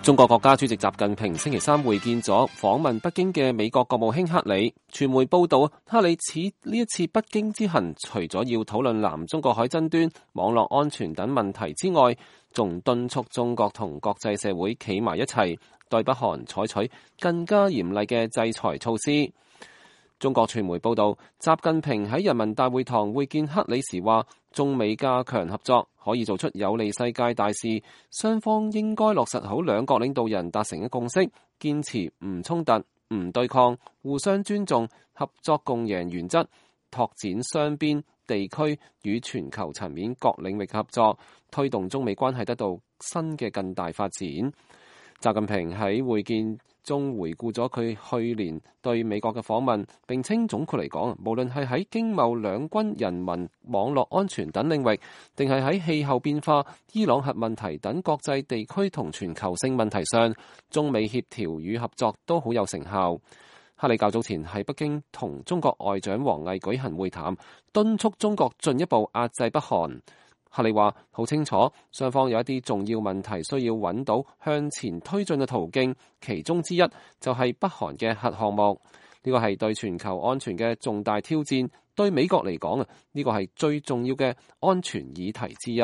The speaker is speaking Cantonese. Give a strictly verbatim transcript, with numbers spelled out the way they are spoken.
中國國家主席習近平星期三會見咗訪問北京嘅美國國務卿克里。傳媒報道，克里此呢一次北京之行，除咗要討論南中國海爭端、網絡安全等問題之外，仲敦促中國同國際社會企埋一齊，對北韓採取更加嚴厲嘅制裁措施。中國傳媒報道，習近平喺人民大會堂會見克里時話，中美加強合作可以做出有利世界大事，雙方應該落實好兩國領導人達成嘅共識，堅持唔衝突、唔對抗、互相尊重、合作共贏原則，拓展雙邊、地區與全球層面各領域合作，推動中美關係得到新嘅更大發展。習近平喺會見中回顧咗佢去年對美國嘅訪問，並稱總括嚟講，無論係喺經貿、兩軍、人民、網絡安全等領域，定係喺氣候變化、伊朗核問題等國際地區同全球性問題上，中美協調與合作都好有成效。克里較早前喺北京同中國外長王毅舉行會談，敦促中國進一步壓制北韓。克里話好清楚，雙方有一啲重要問題需要揾到向前推進嘅途徑，其中之一就係北韓嘅核項目。呢個係對全球安全嘅重大挑戰，對美國嚟講啊，呢個係最重要嘅安全議題之一。